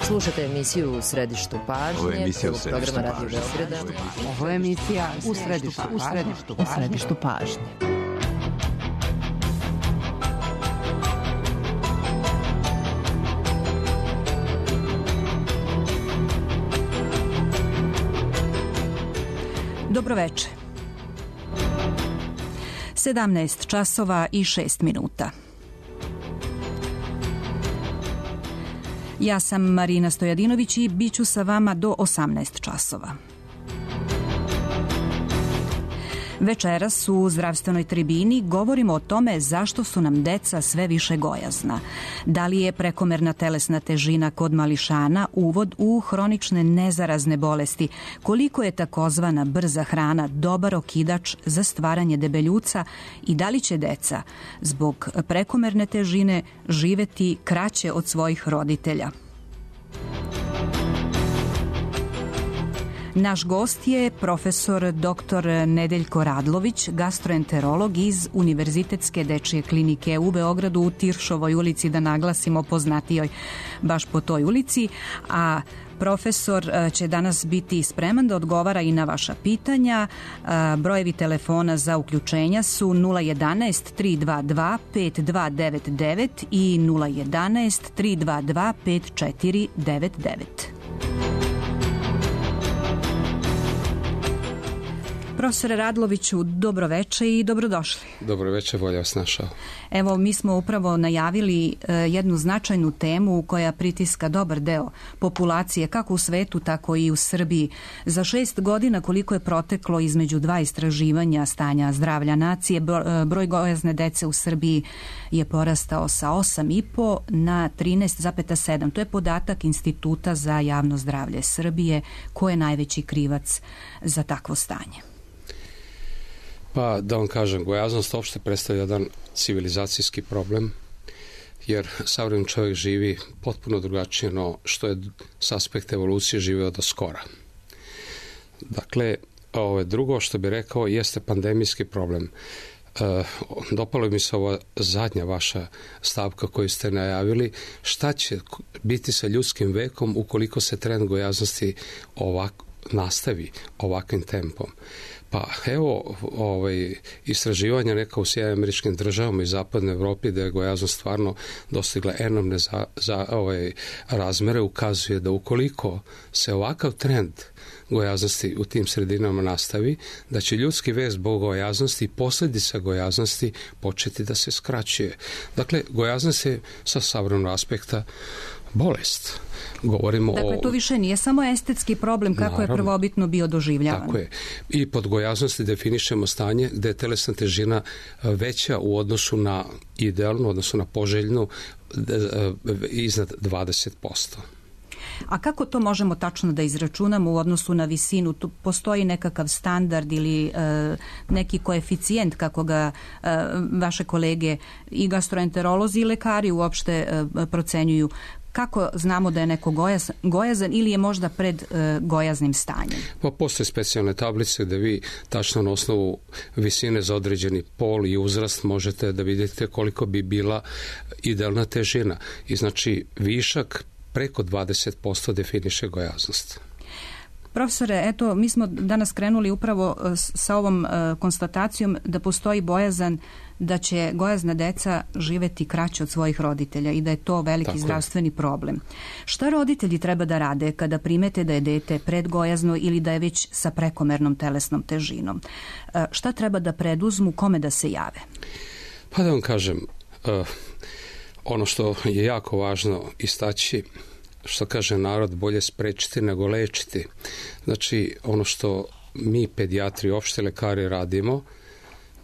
Slušate emisiju U središtu pažnje, prvog programa Radio Beograda. Ovo je emisija U središtu pažnje. Dobroveče. 17 časova i 6 minuta. Ja sam Marina Stojadinović i bit ću sa vama do 18 časova. Večeras u zdravstvenoj tribini govorimo o tome zašto su nam deca sve više gojazna. Da li je prekomerna telesna težina kod mališana uvod u hronične nezarazne bolesti? Koliko je takozvana brza hrana dobar okidač za stvaranje debeljuca i da li će deca zbog prekomerne težine živeti kraće od svojih roditelja? Naš gost je profesor dr. Nedeljko Radlović, gastroenterolog iz Univerzitetske dečije klinike u Beogradu u Tiršovoj ulici, da naglasimo, poznatijoj baš po toj ulici, a profesor će danas biti spreman da odgovara i na vaša pitanja. Brojevi telefona za uključenja su 011 322 5299 i 011 322 5499. Profesore Radloviću, dobroveče i dobrodošli. Dobroveče, bolje vas našao. Evo, mi smo upravo najavili jednu značajnu temu koja pritiska dobar deo populacije, kako u svetu, tako i u Srbiji. Za 6 godina koliko je proteklo između 2 istraživanja stanja zdravlja nacije, broj gojazne dece u Srbiji je porastao sa 8,5 na 13,7. To je podatak Instituta za javno zdravlje Srbije. Ko je najveći krivac za takvo stanje? Pa da vam kažem, gojaznost uopšte predstavlja jedan civilizacijski problem, jer savremeni čovjek živi potpuno drugačije no što je s aspekta evolucije živeo do skora. Dakle, drugo što bih rekao jeste pandemijski problem. Dopalo mi se ova zadnja vaša stavka koju ste najavili. Šta će biti sa ljudskim vekom ukoliko se trend gojaznosti nastavi ovakvim tempom? Pa evo, istraživanja neka u Sjedinjenim Američkim Državama i zapadnoj Evropi da je gojaznost stvarno dostigla enormne razmere, ukazuje da ukoliko se ovakav trend gojaznosti u tim sredinama nastavi, da će ljudski vek zbog gojaznosti i posljedica gojaznosti početi da se skraćuje. Dakle, gojaznost je sa savremenog aspekta bolest. Govorimo dakle, to više nije samo estetski problem kako je prvobitno bio doživljavan. Tako je. I pod gojaznosti definišemo stanje gde je telesna težina veća u odnosu na idealnu, odnosno na poželjnu, iznad 20%. A kako to možemo tačno da izračunamo u odnosu na visinu? Tu postoji nekakav standard ili neki koeficijent kako ga vaše kolege i gastroenterolozi i lekari uopšte procenjuju? Kako znamo da je neko gojazan ili je možda pred gojaznim stanjem? Pa postoje specijalne tablice gde vi tačno na osnovu visine za određeni pol i uzrast možete da vidite koliko bi bila idealna težina. I znači višak preko 20% definiše gojaznost. Profesore, eto, mi smo danas krenuli upravo sa ovom konstatacijom da postoji bojazan da će gojazna deca živeti kraće od svojih roditelja i da je to veliki zdravstveni problem. Šta roditelji treba da rade kada primete da je dete predgojazno ili da je već sa prekomernom telesnom težinom? Šta treba da preduzmu, kome da se jave? Pa da vam kažem, ono što je jako važno istaći, što kaže narod, bolje sprečiti nego lečiti. Znači, ono što mi pedijatri, opšte lekari radimo,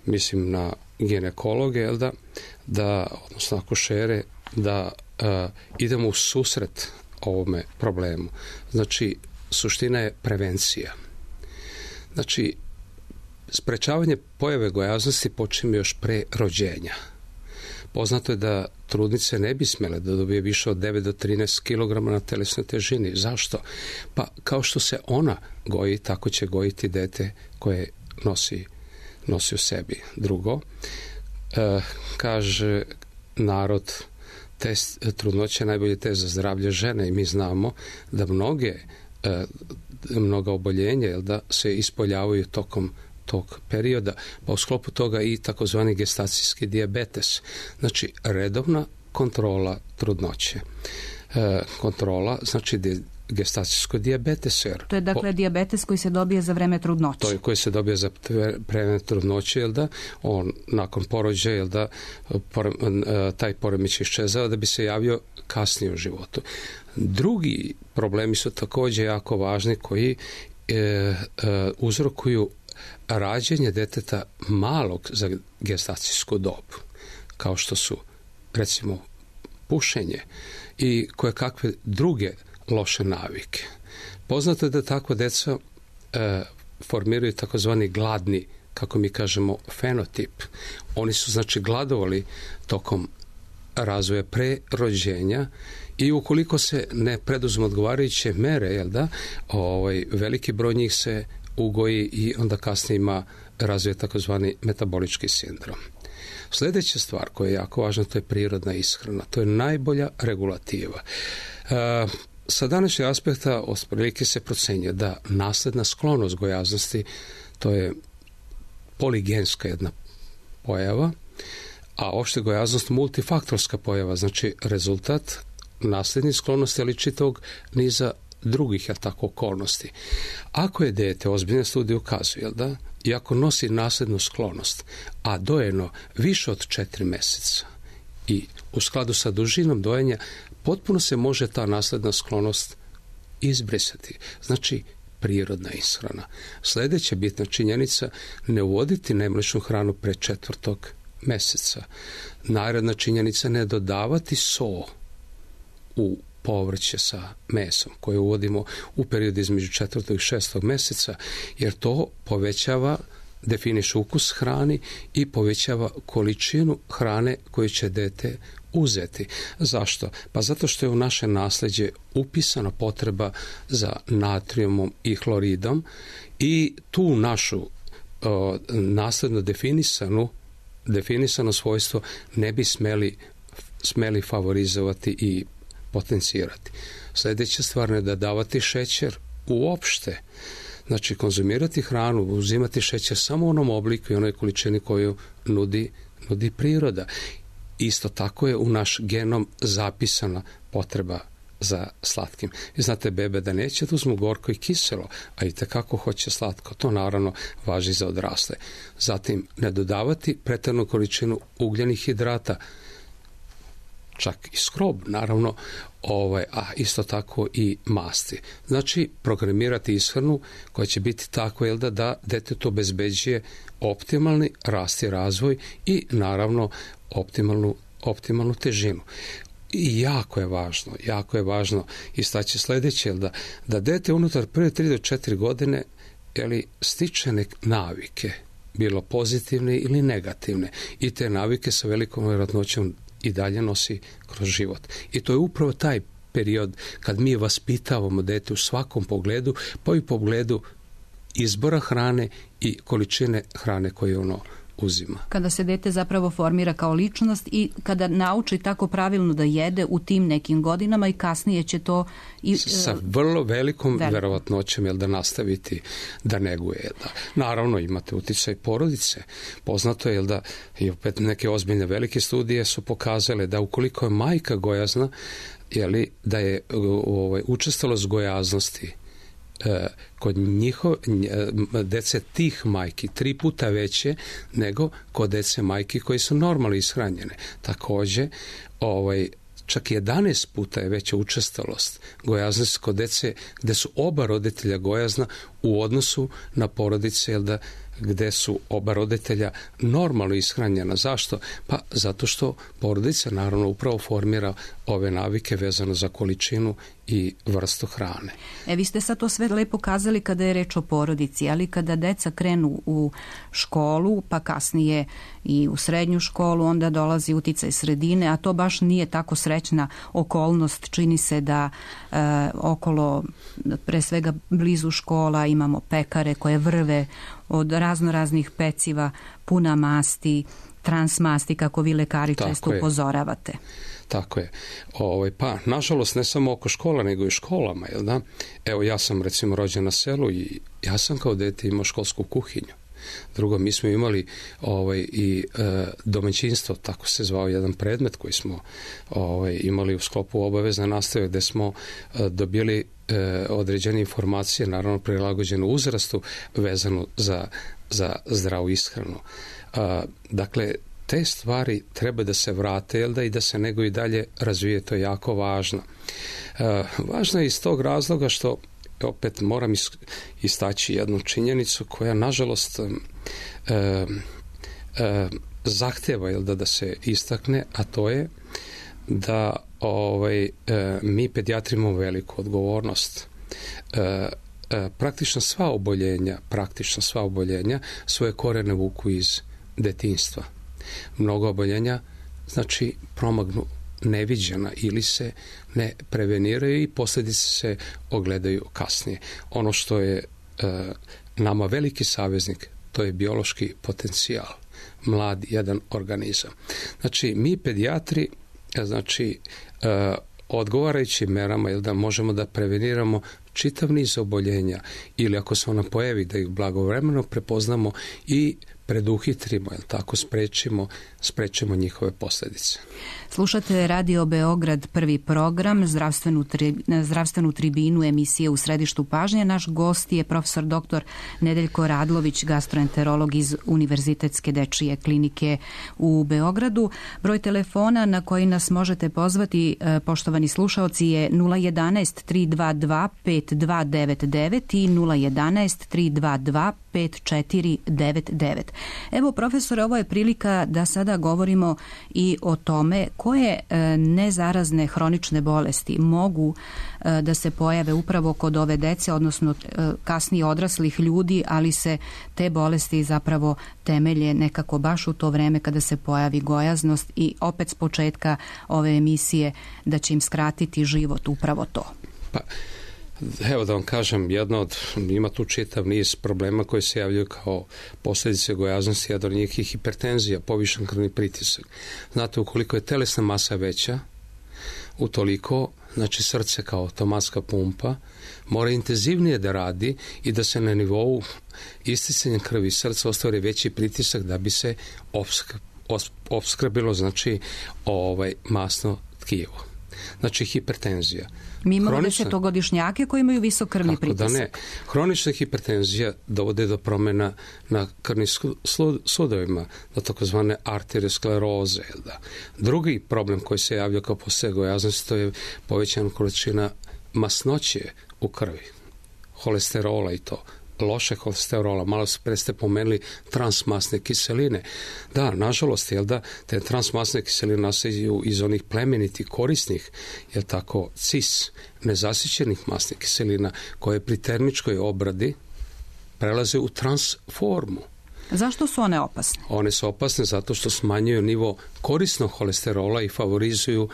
mislim na ginekologe, odnosno akušere, da idemo u susret ovome problemu. Znači, suština je prevencija. Znači, sprečavanje pojave gojaznosti počinje još pre rođenja. Poznato je da trudnice ne bi smjele da dobije više od 9 do 13 kg na telesnoj težini. Zašto? Pa kao što se ona goji, tako će gojiti dete koje nosi u sebi. Drugo, kaže narod test trudnoće je najbolji test za zdravlje žene i mi znamo da mnoga oboljenja da se ispoljavaju tokom tog perioda, pa u sklopu toga i takozvani gestacijski dijabetes. Znači, redovna kontrola trudnoće. Kontrola, znači gestacijsko dijabetes. To je dakle dijabetes koji se dobije za vreme trudnoće. To je koji se dobije za vreme trudnoće, on nakon porođaja, taj poremećaj iščezao da bi se javio kasnije u životu. Drugi problemi su također jako važni koji uzrokuju rađenje deteta malog za gestacijsku dob, kao što su recimo pušenje i koje kakve druge loše navike. Poznato je da takva deca formiraju takozvani gladni, kako mi kažemo, fenotip. Oni su znači gladovali tokom razvoja pre rođenja i ukoliko se ne preduzmu odgovarajuće mere, veliki broj njih se ugoji i onda kasnije razvije takozvani metabolički sindrom. Sljedeća stvar koja je jako važna, to je prirodna ishrana. To je najbolja regulativa. Sa današnjeg aspekta otprilike se procenjuje da nasljedna sklonost gojaznosti, to je poligenska jedna pojava, a opšte gojaznost multifaktorska pojava, znači rezultat nasljednih sklonosti, ali čitavog niza drugih okolnosti. Ako je dijete, ozbiljne studije ukazuju, i ako nosi nasljednu sklonost, a dojeno više od 4 mjeseca i u skladu sa dužinom dojenja, potpuno se može ta nasljedna sklonost izbrisati. Znači, prirodna ishrana. Sljedeća bitna činjenica, ne uvoditi nemličnu hranu pre 4. mjeseca. Naredna činjenica, ne dodavati so u povrće sa mesom koje uvodimo u periodu između 4. i 6. mjeseca, jer to povećava, definiše ukus hrani i povećava količinu hrane koju će dete uzeti. Zašto? Pa zato što je u naše nasljeđe upisana potreba za natrijumom i hloridom i tu našu nasljedno definisano svojstvo ne bi smeli favorizovati i potencirati. Sljedeća stvar, ne dodavati šećer uopšte. Znači, konzumirati hranu, uzimati šećer samo u onom obliku i onoj količini koju nudi priroda. Isto tako je u naš genom zapisana potreba za slatkim. I znate, bebe da neće da uzmu gorko i kiselo, a i tekako hoće slatko. To naravno važi za odrasle. Zatim, ne dodavati pretjeranu količinu ugljenih hidrata, čak i skrob, naravno, a isto tako i masti. Znači, programirati ishranu koja će biti tako da detetu obezbeđuje optimalni rast i razvoj i naravno optimalnu težinu. I jako je važno istaći sljedeće, da dete unutar prve 3 do 4 godine stiče navike, bilo pozitivne ili negativne, i te navike sa velikom vjerojatnoćom i dalje nosi kroz život. I to je upravo taj period kad mi vaspitavamo dete u svakom pogledu, pa i u pogledu izbora hrane i količine hrane koju ono uzima. Kada se dete zapravo formira kao ličnost i kada nauči tako pravilno da jede u tim nekim godinama i kasnije će to sa vrlo velikom verovatnoćom da nastaviti da neguje. Naravno, imate uticaj porodice. Poznato je da i opet neke ozbiljne velike studije su pokazale da ukoliko je majka gojazna, da je učestalost gojaznosti kod dece tih majki 3 puta veće nego kod dece majki koji su normalno ishranjene. Također, čak 11 puta je veća učestalost gojaznosti kod dece gde su oba roditelja gojazna u odnosu na porodice gde su oba roditelja normalno ishranjena. Zašto? Pa zato što porodica naravno upravo formira ove navike vezano za količinu i vrstu hrane. Vi ste sad to sve lepo kazali kada je reč o porodici, ali kada deca krenu u školu, pa kasnije i u srednju školu, onda dolazi uticaj sredine, a to baš nije tako srećna okolnost. Čini se da okolo, pre svega blizu škola, imamo pekare koje vrve od raznoraznih peciva, puna masti, transmasti, kako vi lekari često upozoravate. Tako je. Pa, nažalost, ne samo oko škola, nego i u školama, jel da? Evo, ja sam recimo rođen na selu i ja sam kao dete imao školsku kuhinju. Drugo, mi smo imali i domaćinstvo, tako se zvao jedan predmet koji smo imali u sklopu obavezne nastave, gde smo dobili određene informacije, naravno prilagođenu uzrastu, vezanu za zdravu ishranu. Dakle, te stvari treba da se vrate, jel da, i da se nego i dalje razvije, to je jako važno. Važno je iz tog razloga što opet moram istaći jednu činjenicu koja nažalost zahtjeva, jel da se istakne, a to je da mi pedijatri imamo veliku odgovornost. Praktično sva oboljenja svoje korene vuku iz detinjstva. Mnogo oboljenja znači promagnu neviđena ili se ne preveniraju i posljedice se ogledaju kasnije. Ono što je nama veliki saveznik, to je biološki potencijal, mlad jedan organizam. Znači, mi pedijatri, znači, odgovarajućim merama, jel da možemo da preveniramo čitav niz oboljenja ili ako se ona pojavi, da ih blagovremeno prepoznamo i preduhitrimo, jel tako, sprečimo njihove posljedice. Slušate Radio Beograd, prvi program, zdravstvenu tribinu emisije U središtu pažnje. Naš gost je profesor dr. Nedeljko Radlović, gastroenterolog iz Univerzitetske dečije klinike u Beogradu. Broj telefona na koji nas možete pozvati, poštovani slušaoci, je 011 322 5299 i 011 322 5499. Evo, profesore, ovo je prilika da sada govorimo i o tome koje nezarazne hronične bolesti mogu da se pojave upravo kod ove dece, odnosno kasnije odraslih ljudi, ali se te bolesti zapravo temelje nekako baš u to vreme kada se pojavi gojaznost i opet s početka ove emisije da će im skratiti život upravo to. Pa, evo da vam kažem, ima tu čitav niz problema koji se javljaju kao posljedice gojaznosti, jedan od njih je hipertenzija, povišen krvni pritisak. Znate, ukoliko je telesna masa veća, utoliko, znači srce kao automatska pumpa, mora intenzivnije da radi i da se na nivou isticanja krvi srca ostvari veći pritisak da bi se opskrbilo, znači, masno tkivo. Znači, hipertenzija. Mi imamo desetogodišnjake koji imaju visok krvni pritisak. Da ne. Hronična hipertenzija dovode do promjena na krvnim sudovima, do takozvane arterioskleroze. Da. Drugi problem koji se javlja kao posljedica gojaznosti, to je povećana količina masnoće u krvi, holesterola i to. Loše holesterola, malo pre ste pomenuli transmasne kiseline. Da, nažalost, jel da, te transmasne kiseline nastaju iz onih plemenitih, korisnih, jel tako, cis, nezasićenih masnih kiselina, koje pri termičkoj obradi prelaze u transformu. Zašto su one opasne? One su opasne zato što smanjuju nivo korisnog holesterola i favorizuju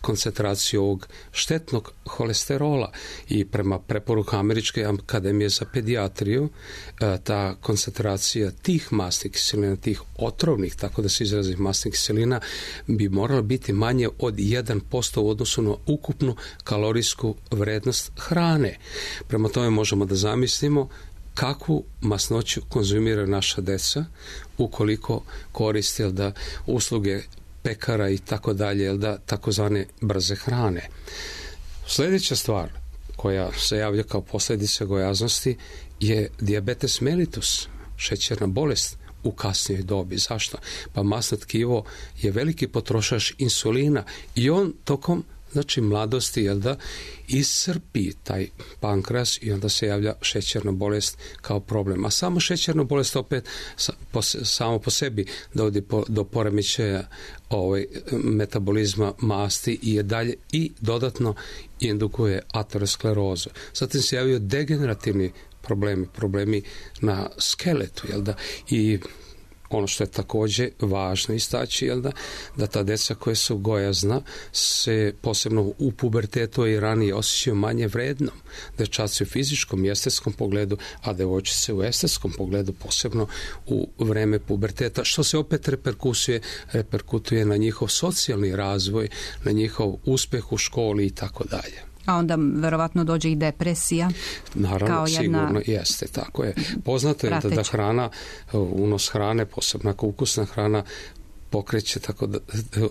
koncentraciju ovog štetnog holesterola. I prema preporuku Američke akademije za pedijatriju, ta koncentracija tih masnih kiselina, tih otrovnih, tako da se izrazi, masnih kiselina, bi morala biti manje od 1% u odnosu na ukupnu kalorijsku vrednost hrane. Prema tome možemo da zamislimo kakvu masnoću konzumiraju naša deca ukoliko koriste usluge pekara i tako dalje, takozvane brze hrane. Sljedeća stvar koja se javlja kao posljedica gojaznosti je dijabetes mellitus, šećerna bolest u kasnijoj dobi. Zašto? Pa masno tkivo je veliki potrošač insulina i on tokom mladosti, iscrpi taj pankreas i onda se javlja šećerna bolest kao problem. A samo šećerna bolest opet samo po sebi dovodi do poremećaja metabolizma masti i je dalje i dodatno indukuje aterosklerozu. Zatim se javljaju degenerativni problemi na skeletu, i ono što je također važno istaći, da ta deca koja su gojazna se posebno u pubertetu i ranije osjećaju manje vrednom. Dečaci u fizičkom i estetskom pogledu, a devojčice u estetskom pogledu, posebno u vreme puberteta, što se opet reperkutuje na njihov socijalni razvoj, na njihov uspjeh u školi i tako dalje. A onda verovatno dođe i depresija. Naravno, sigurno jeste, tako je. Poznato je da hrana, unos hrane, posebno ako ukusna hrana, pokreće tako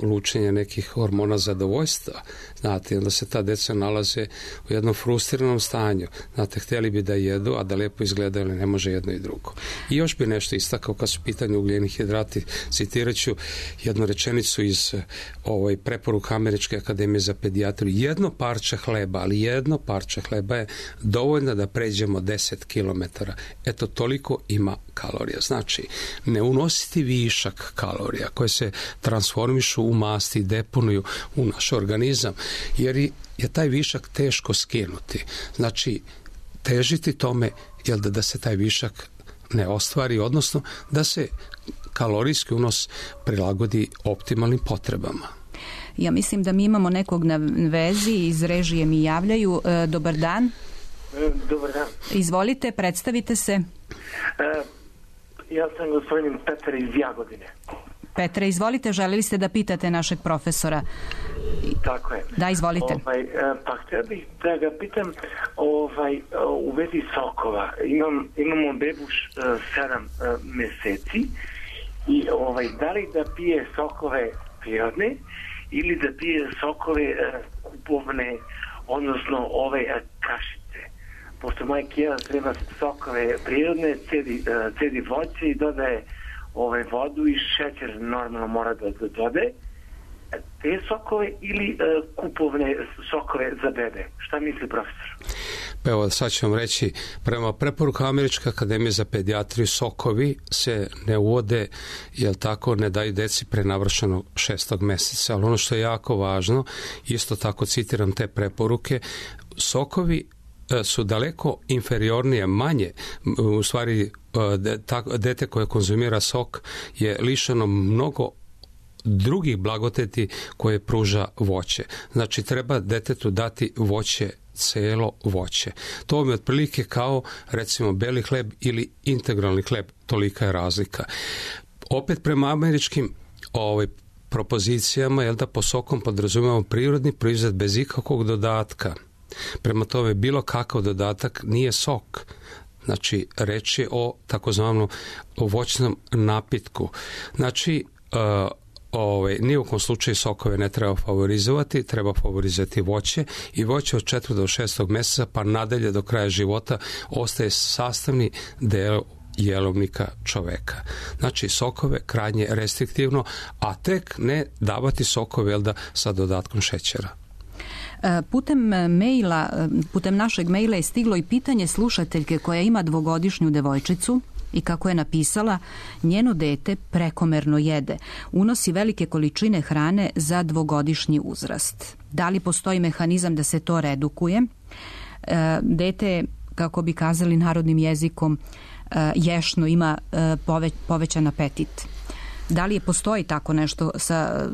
lučenje nekih hormona zadovoljstva. Znate, onda se ta deca nalaze u jednom frustriranom stanju. Znate, htjeli bi da jedu, a da lijepo izgledaju, ali ne može jedno i drugo. I još bi nešto istakao kad su pitanje ugljeni hidrati. Citirat ću jednu rečenicu iz preporuka Američke akademije za pedijatriju. Jedno parče hleba, ali jedno parče hleba je dovoljno da pređemo 10 km. Eto, toliko ima kalorija. Znači, ne unositi višak kalorija koje se transformišu u masti i deponuju u naš organizam, jer je taj višak teško skinuti. Znači, težiti tome da se taj višak ne ostvari, odnosno da se kalorijski unos prilagodi optimalnim potrebama. Ja mislim da mi imamo nekog na vezi, iz režije mi javljaju. Dobar dan. Dobar dan. Izvolite, predstavite se. Ja sam gospodin Petar iz Jagodine. Petre, izvolite, želeli ste da pitate našeg profesora. Tako je. Da, izvolite. Pa htio bih da ga pitam u vezi sokova. Imamo bebu 7 mjeseci i da li da pije sokove prirodne ili da pije sokove kupovne, odnosno kašice. Pošto moja kijela treba sokove prirodne, cedi voće i dodaje vodu i šećer normalno mora da dodaje. Te sokove ili kupovne sokove za bebe? Šta misli profesor? Pa evo, sad ću vam reći, prema preporuka Američke akademije za pedijatriju, sokovi se ne uvode, ne daju deci pre navršenog 6. mjeseca. Ali ono što je jako važno, isto tako citiram te preporuke, sokovi su daleko inferiornije, manje, u stvari dete koje konzumira sok je lišeno mnogo drugih blagodati koje pruža voće. Znači, treba detetu dati voće, celo voće. To vam je otprilike kao, recimo, beli hleb ili integralni hleb, tolika je razlika. Opet prema američkim propozicijama, po sokom podrazumijemo prirodni proizvod bez ikakvog dodatka. Prema tome, bilo kakav dodatak nije sok. Znači, reč je o takozvanom voćnom napitku. Znači, ni u kom slučaju sokove ne treba favorizovati, treba favorizovati voće i voće od 4. do 6. mjeseca pa nadalje do kraja života ostaje sastavni deo jelovnika čoveka. Znači, sokove krajnje restriktivno, a tek ne davati sokove sa dodatkom šećera. Putem našeg maila je stiglo i pitanje slušateljke koja ima 2-godišnju devojčicu i kako je napisala, njeno dete prekomerno jede, unosi velike količine hrane za 2-godišnji uzrast. Da li postoji mehanizam da se to redukuje? Dete, kako bi kazali narodnim jezikom, ješno, ima povećan apetit. Da li postoji tako nešto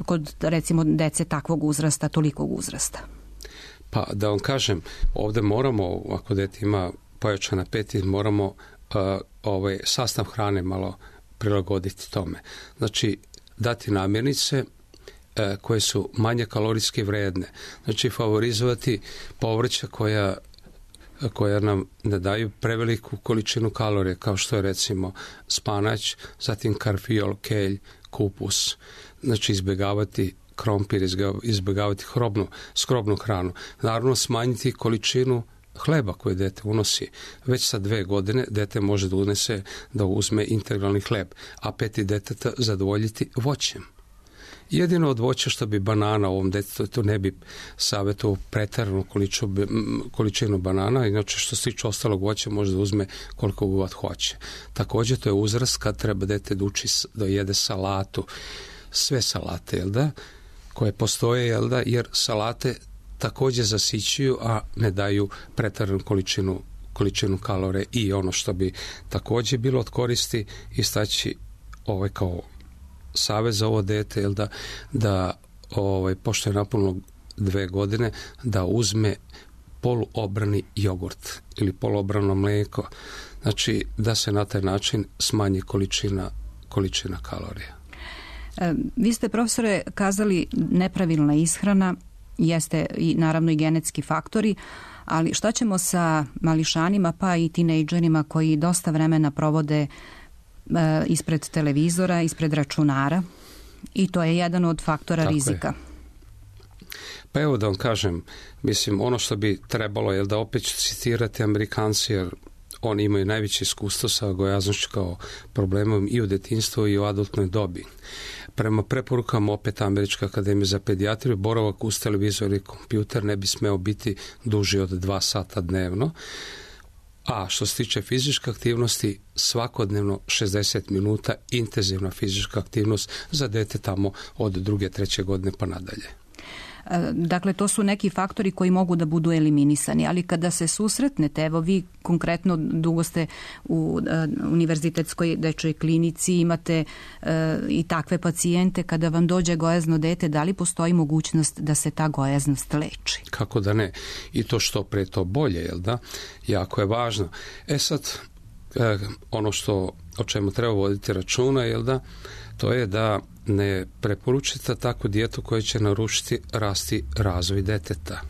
kod, recimo, dece takvog uzrasta, tolikog uzrasta? Pa da vam kažem, ovdje moramo, ako dete ima povećan apetit, moramo sastav hrane malo prilagoditi tome. Znači, dati namirnice koje su manje kalorijski vredne. Znači, favorizovati povrća koja nam ne daju preveliku količinu kalorija, kao što je recimo spanać, zatim karfiol, kelj, kupus. Znači, izbjegavati krompir, izbjegavati skrobnu hranu. Naravno, smanjiti količinu hleba koje dete unosi. Već sa 2 godine dete može da uzme integralni hleb, a apetit deteta zadovoljiti voćem. Jedino od voća što bi banana ovom detetu, tu ne bi savjetovao preteranu količinu banana, inače što se tiče ostalog voća može da uzme koliko god hoće. Također to je uzrast kad treba dete da jede salatu, sve salate, koje postoje, jer salate također zasićuju, a ne daju preteranu količinu kalorije. I ono što bi također bilo od koristi istaći kao savjet za ovo dete, da pošto je napunilo 2 godine, da uzme poluobrani jogurt ili poluobrano mlijeko. Znači, da se na taj način smanji količina kalorija. Vi ste, profesore, kazali nepravilna ishrana, jeste i naravno i genetski faktori, ali šta ćemo sa mališanima pa i tinejdžerima koji dosta vremena provode ispred televizora, ispred računara, i to je jedan od faktora rizika. Pa evo da vam kažem, mislim, ono što bi trebalo je da opet ću citirati Amerikanci, jer oni imaju najveće iskustvo sa gojaznošću kao problemom i u detinjstvu i u adultnoj dobi. Prema preporukama opet Američke akademije za pedijatriju, boravak uz televizor i kompjuter ne bi smeo biti duži od 2 sata dnevno. A što se tiče fizičke aktivnosti, svakodnevno 60 minuta intenzivna fizička aktivnost za dete tamo od 2. 3. godine pa nadalje. Dakle, to su neki faktori koji mogu da budu eliminisani, ali kada se susretnete, evo vi konkretno dugo ste u univerzitetskoj dečjoj klinici, imate i takve pacijente, kada vam dođe gojazno dete, da li postoji mogućnost da se ta gojaznost leči? Kako da ne? I to što pre to bolje, jel da? Jako je važno. Sad, ono o čemu treba voditi računa, jel da? To je da ne preporučite takvu dijetu koja će narušiti razvoj deteta.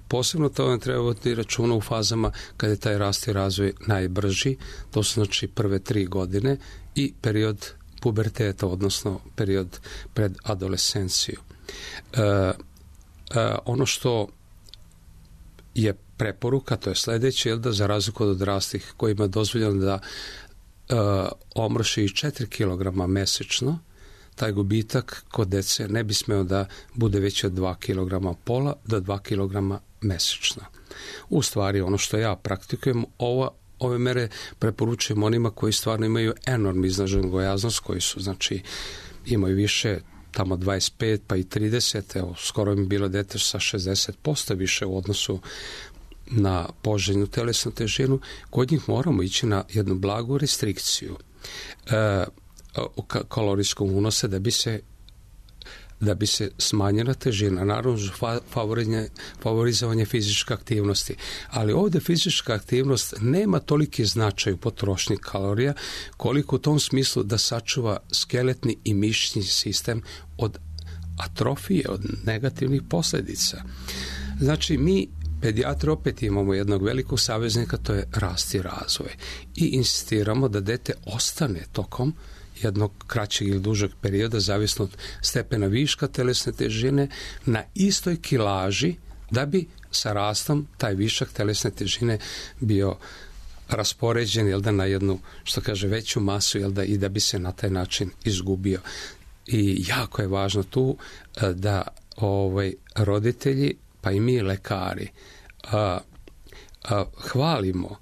Posebno to vam treba voditi računa u fazama kada je taj rast i razvoj najbrži, to su znači prve 3 godine i period puberteta, odnosno period pred adolescenciju. Ono što je preporuka, to je sljedeće, da za razliku od odraslih kojima je dozvoljeno da omrši 4 kg mesečno, taj gubitak kod dece ne bi smeo da bude veći od 2 kg pola do 2 kg mesečno. U stvari, ono što ja praktikujem, ove mere preporučujem onima koji stvarno imaju enormno izraženu gojaznost, koji su, znači, imaju više, tamo 25 pa i 30, evo, skoro mi bilo dete sa 60% više u odnosu na poželjnu telesnu težinu. Kod njih moramo ići na jednu blagu restrikciju kalorijskog unosa da bi se smanjila težina. Naravno, favorizovanje fizičke aktivnosti. Ali ovdje fizička aktivnost nema toliki značaj u potrošnji kalorija koliko u tom smislu da sačuva skeletni i mišićni sistem od atrofije, od negativnih posljedica. Znači, mi pedijatri opet imamo jednog velikog saveznika, to je rast i razvoj. I insistiramo da dete ostane tokom jednog kraćeg ili dužeg perioda, zavisno od stepena viška telesne težine, na istoj kilaži, da bi sa rastom taj višak telesne težine bio raspoređen, na jednu, što kaže, veću masu, i da bi se na taj način izgubio. I jako je važno tu da roditelji, pa i mi lekari, hvalimo,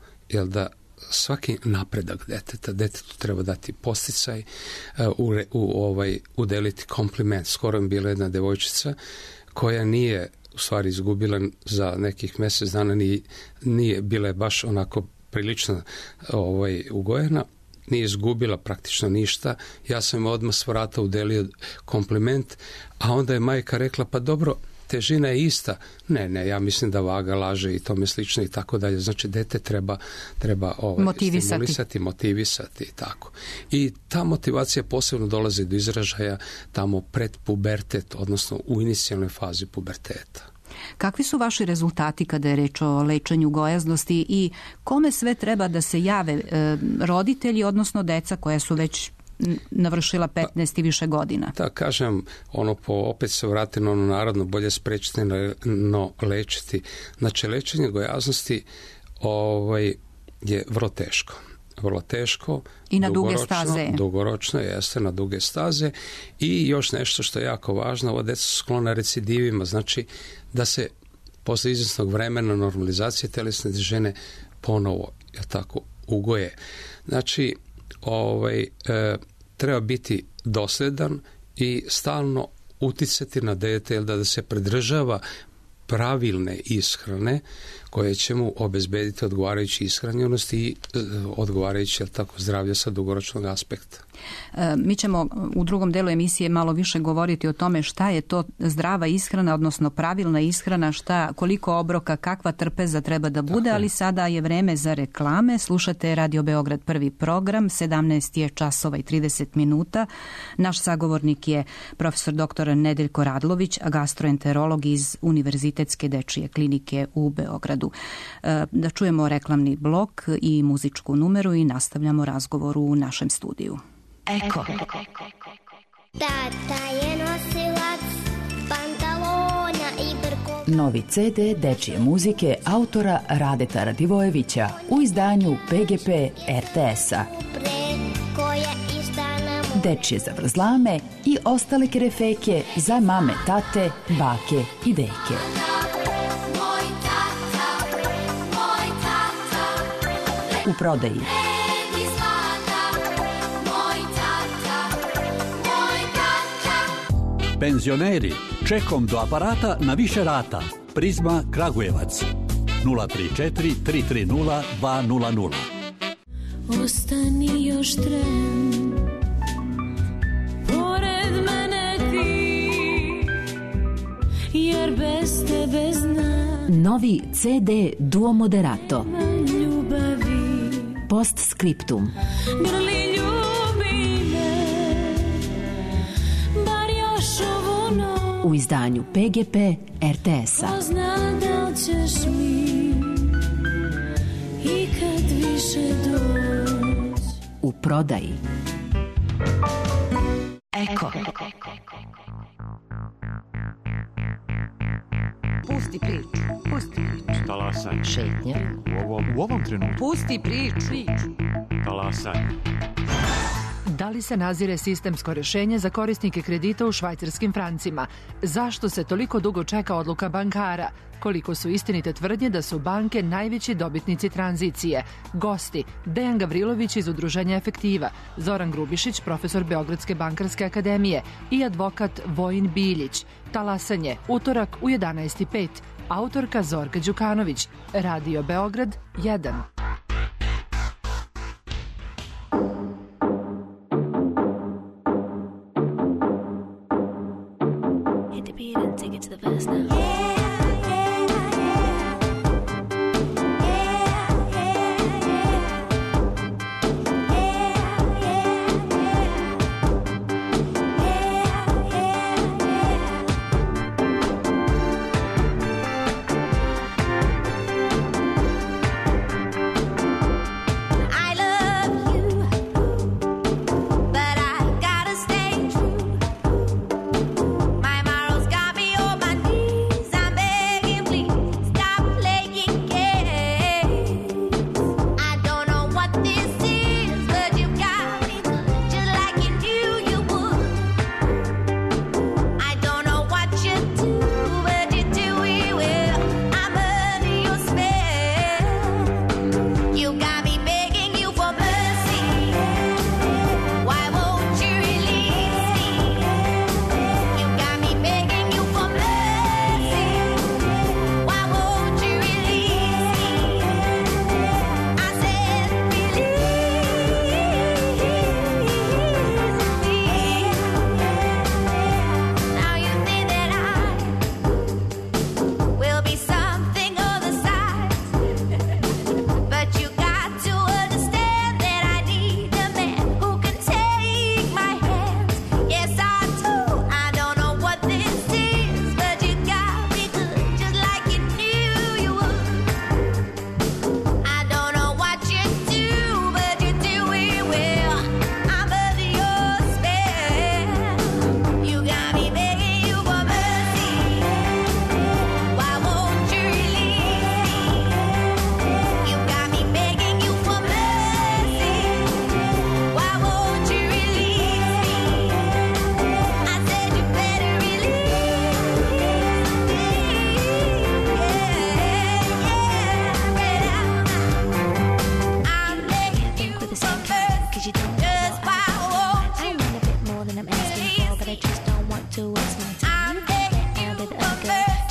da svaki napredak detetu treba dati posticaj, udeliti kompliment. Skoro mi bila jedna devojčica koja nije u stvari izgubila za nekih mjesec dana, nije bila baš onako prilično ugojena, nije izgubila praktično ništa. Ja sam odmah s vrata udelio kompliment, a onda je majka rekla, pa dobro, težina je ista. Ne, ja mislim da vaga laže i tome slično i tako dalje. Znači, dete treba stimulisati, motivisati i tako. I ta motivacija posebno dolazi do izražaja tamo pred pubertet, odnosno u inicijalnoj fazi puberteta. Kakvi su vaši rezultati kada je reč o lečenju gojaznosti i kome sve treba da se jave roditelji, odnosno deca koja su već navršila 15 i više godina? Da, kažem, opet se vratiti na ono narodno, bolje sprečiti no lečiti. Znači, lečenje gojaznosti je vrlo teško. Vrlo teško. I na duge staze. Dugoročno, jeste, na duge staze. I još nešto što je jako važno, ova deca su sklona recidivima, znači da se posle izvjesnog vremena normalizacije telesne težine ponovo, ugoje. Znači, treba biti dosljedan i stalno uticati na dete, da se pridržava pravilne ishrane koje će mu obezbediti odgovarajući ishranjenost i odgovarajući zdravlje sa dugoročnog aspekta. Mi ćemo u drugom delu emisije malo više govoriti o tome šta je to zdrava ishrana, odnosno pravilna ishrana, koliko obroka, kakva trpeza treba da bude, ali sada je vreme za reklame. Slušate Radio Beograd prvi program, 17 je časova i 30 minuta. Naš sagovornik je profesor dr. Nedeljko Radlović, gastroenterolog iz Univerzitetske dečije klinike u Beogradu. Da čujemo reklamni blok i muzičku numeru i nastavljamo razgovor u našem studiju. Eko. Tata je nosilac pantalona i brkova. Novi CD dečije muzike autora Radeta Radivojevića u izdanju PGP RTS-a. Dečije zavrzlame i ostale kerefeke za mame, tate, bake i deke. U prodaji. Penzioneri, čekom do aparata na više rata. Prizma Kragujevac 034 330 200. Ostani još tren, pored mene ti, jer bez tebe znam. Novi CD Duo Moderato. Ljubavi. Postscriptum. Grli ljubi me, bar još ovu noć. U izdanju PGP RTS-a. Ko zna da li ćeš mi ikad više doć. U prodaji. Eko. Pusti priču. Talasaj. Šetnja. U ovom trenutku. Pusti priču. Talasaj. Da li se nazire sistemsko rješenje za korisnike kredita u švajcarskim francima? Zašto se toliko dugo čeka odluka bankara? Koliko su istinite tvrdnje da su banke najveći dobitnici tranzicije? Gosti: Dejan Gavrilović iz Udruženja Efektiva, Zoran Grubišić, profesor Beogradske bankarske akademije i advokat Vojin Biljić. Talasanje, utorak u 11:05. Autorka Zorka Đukanović. Radio Beograd 1.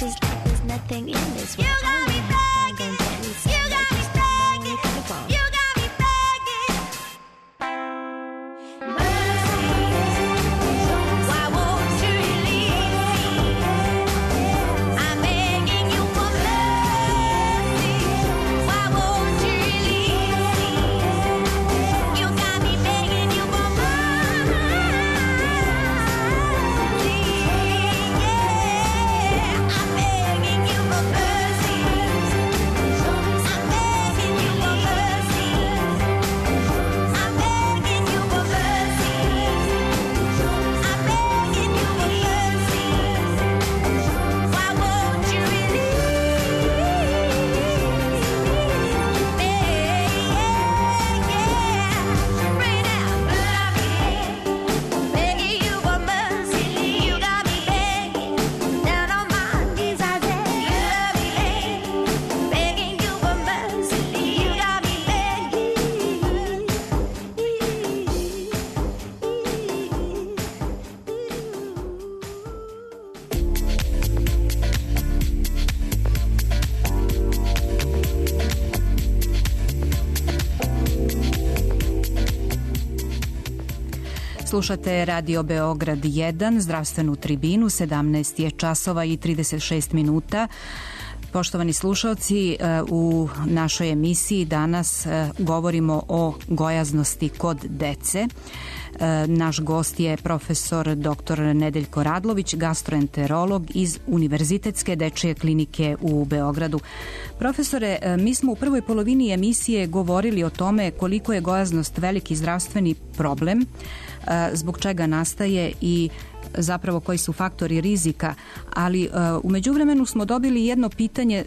Just like there's nothing in this world. I wanna Slušate Radio Beograd 1, zdravstvenu tribinu, 17 je časova i 36 minuta. Poštovani slušalci, u našoj emisiji danas govorimo o gojaznosti kod dece. Naš gost je profesor dr. Nedeljko Radlović, gastroenterolog iz Univerzitetske dečije klinike u Beogradu. Profesore, mi smo u prvoj polovini emisije govorili o tome koliko je gojaznost veliki zdravstveni problem, zbog čega nastaje i zapravo koji su faktori rizika, ali u međuvremenu smo dobili jedno pitanje,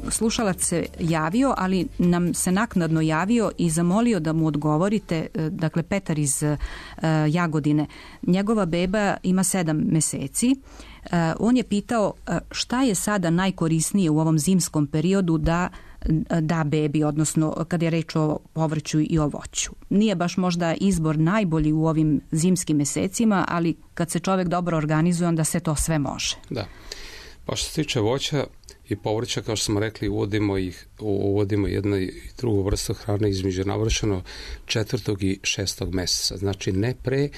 slušalac se javio, ali nam se naknadno javio i zamolio da mu odgovorite, dakle Petar iz Jagodine. Njegova beba ima 7 meseci. On je pitao šta je sada najkorisnije u ovom zimskom periodu da bebi, odnosno kad je reč o povrću i o voću. Nije baš možda izbor najbolji u ovim zimskim mesecima, ali kad se čovjek dobro organizuje, onda se to sve može. Da. Pa što se tiče voća i povrća, kao što smo rekli, uvodimo jednu i drugu vrstu hrane između navršeno 4. i 6. meseca. Znači ne pre,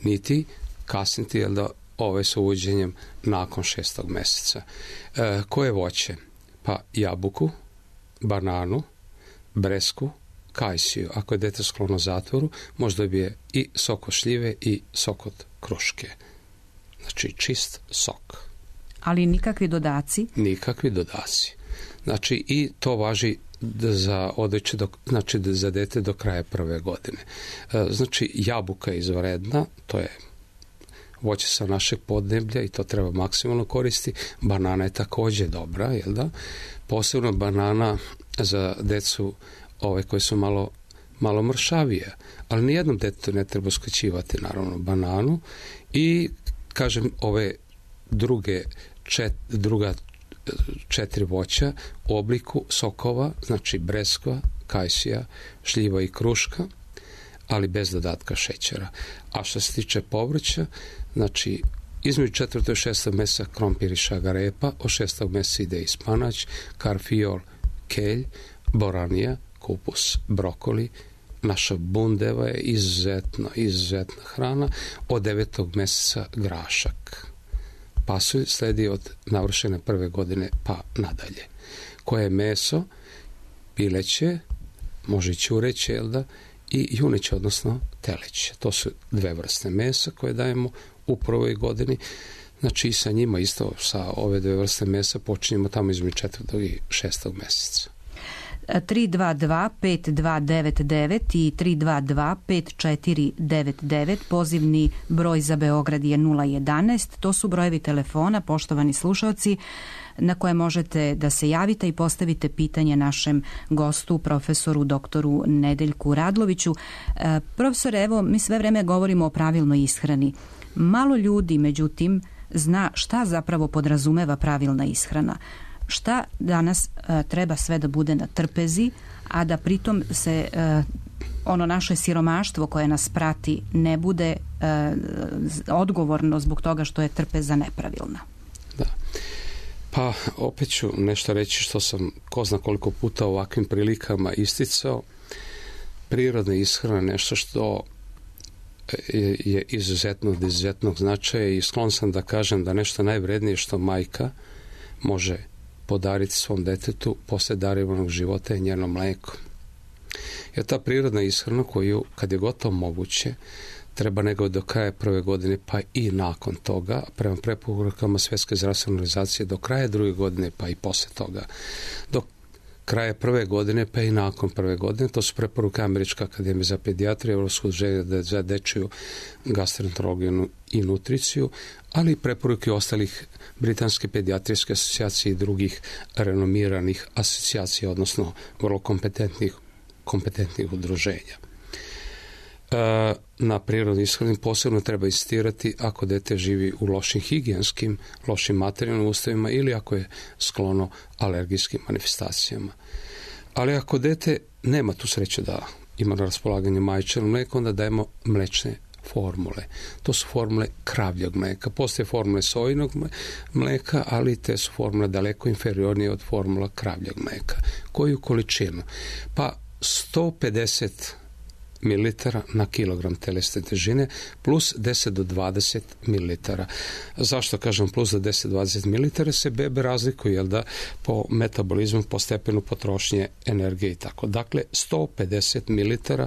niti kasniti, jer da ove sa uvođenjem nakon 6. meseca. Koje voće? Pa jabuku, bananu, bresku, kajsiju. Ako je dete sklono zatvoru, možda dobije i sok od šljive i sok od kruške. Znači čist sok. Ali nikakvi dodaci? Nikakvi dodaci. Znači i to važi za odreće, znači za dete do kraja 1. godine. Znači jabuka je izvanredna, to je voće sa našeg podneblja i to treba maksimalno koristiti. Banana je također dobra, jel da? Posebno banana za decu koje su malo mršavije, ali nijednom detetu ne treba uskraćivati naravno bananu i kažem ove druga 4 voća u obliku sokova, znači breskva, kajsija, šljiva i kruška, ali bez dodatka šećera. A što se tiče povrća, znači između 4. i 6. mjeseca krompir i šagarepa, od 6. mjeseca ide i spanać, karfiol, kelj, boranija, kupus, brokoli. Naša bundeva je izuzetna hrana, od 9. mjeseca grašak. Pasulj sledi od navršene 1. godine pa nadalje. Koje je meso? Pileće, može i ćureće, jel da? I juneće, odnosno teleće. To su 2 vrste mesa koje dajemo u 1. godini. Znači i sa njima isto, sa ove 2 vrste mesa počinjemo tamo između 4. i 6. mjeseca. 322-5299 i 322-5499, pozivni broj za Beograd je 011. To su brojevi telefona, poštovani slušalci, na koje možete da se javite i postavite pitanje našem gostu, profesoru doktoru Nedeljku Radloviću. Profesore, evo, mi sve vreme govorimo o pravilnoj ishrani. Malo ljudi, međutim, zna šta zapravo podrazumeva pravilna ishrana. Šta danas treba sve da bude na trpezi, a da pritom se ono naše siromaštvo koje nas prati ne bude odgovorno zbog toga što je trpeza nepravilna. Da. Pa opet ću nešto reći što sam ko zna koliko puta u ovakvim prilikama isticao. Prirodna ishrana je nešto što je izuzetnog značaja i sklon sam da kažem da nešto najvrednije što majka može podariti svom detetu posle darovanog života je njeno mlijeko. Jer ta prirodna ishrana koju, kad je gotovo moguće, treba nego do kraja 1. godine pa i nakon toga, prema preporukama Svjetske zdravstvene organizacije do kraja 2. godine pa i posle toga. Do kraja 1. godine pa i nakon 1. godine, to su preporuke Američke akademije za pedijatriju, Evropskog udruženja za dečiju gastroenterologiju i nutriciju, ali i preporuke ostalih Britanske pedijatrijske asocijacije i drugih renomiranih asocijacija, odnosno vrlo kompetentnih udruženja. Na prirodni ishrani posebno treba insistirati ako dete živi u lošim higijenskim, lošim materijalnim uslovima ili ako je sklono alergijskim manifestacijama. Ali ako dete nema tu sreću da ima na raspolaganju majčino mlijeko, onda dajemo mlečne formule. To su formule kravljeg mlijeka. Postoje formule sojinog mlijeka, ali te su formule daleko inferiornije od formula kravljeg mlijeka. Koju količinu? Pa 150 ml na kilogram telesne težine plus 10 do 20 ml. Zašto kažem plus do 10 do 20 ml? Se bebe razlikuju, jel da, po metabolizmu, po stepenu potrošnje energije i tako. Dakle, 150 ml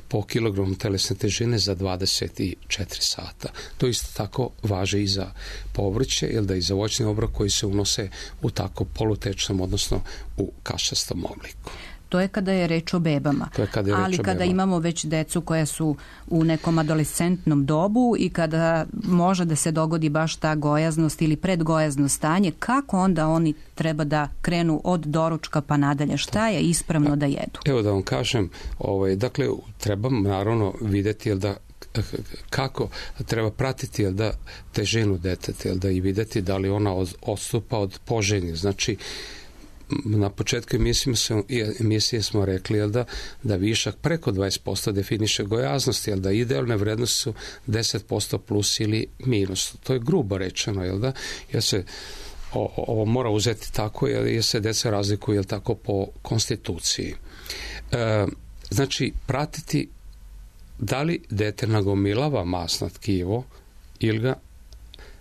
po kilogramu telesne težine za 24 sata. To isto tako važi i za povrće, jel da, i za voćni obrok koji se unose u tako polutečnom, odnosno u kašastom obliku. To je kada je reč o bebama. Ali kada imamo već decu koja su u nekom adolescentnom dobu i kada može da se dogodi baš ta gojaznost ili predgojazno stanje, kako onda oni treba da krenu od doručka pa nadalje? Šta je ispravno da jedu? Evo da vam kažem, dakle, treba naravno vidjeti, jel da, kako treba pratiti, jel da, težinu deteta, jel da, i vidjeti da li ona odstupa od poželjnih. Znači, na početku emisije smo rekli, jel da višak preko 20% definiše gojaznost, jel da idealne vrednosti su 10% plus ili minus. To je grubo rečeno, jel da, jer se ovo mora uzeti tako, jer se deca razlikuju, jel tako, po konstituciji. Znači, pratiti da li dete nagomilava masno tkivo ili ga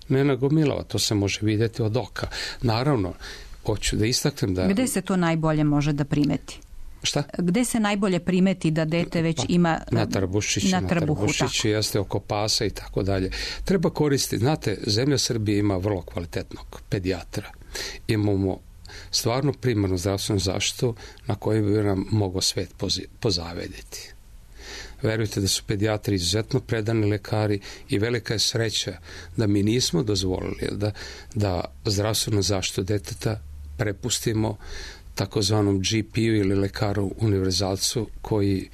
ne nagomilava. To se može vidjeti od oka. Naravno, hoću da istaknem da... Gde se to najbolje može da primeti? Šta? Gde se najbolje primeti da dete već ima... Na trbušiću, jeste oko pasa i tako dalje. Treba koristiti, znate, zemlja Srbije ima vrlo kvalitetnog pedijatra. Imamo stvarno primarnu zdravstvenu zaštitu na kojoj bi nam mogao svet pozavediti. Verujte da su pedijatri izuzetno predani lekari i velika je sreća da mi nismo dozvolili da zdravstvenu zaštitu deteta prepustimo takozvanom GP-u ili lekaru univerzalcu koji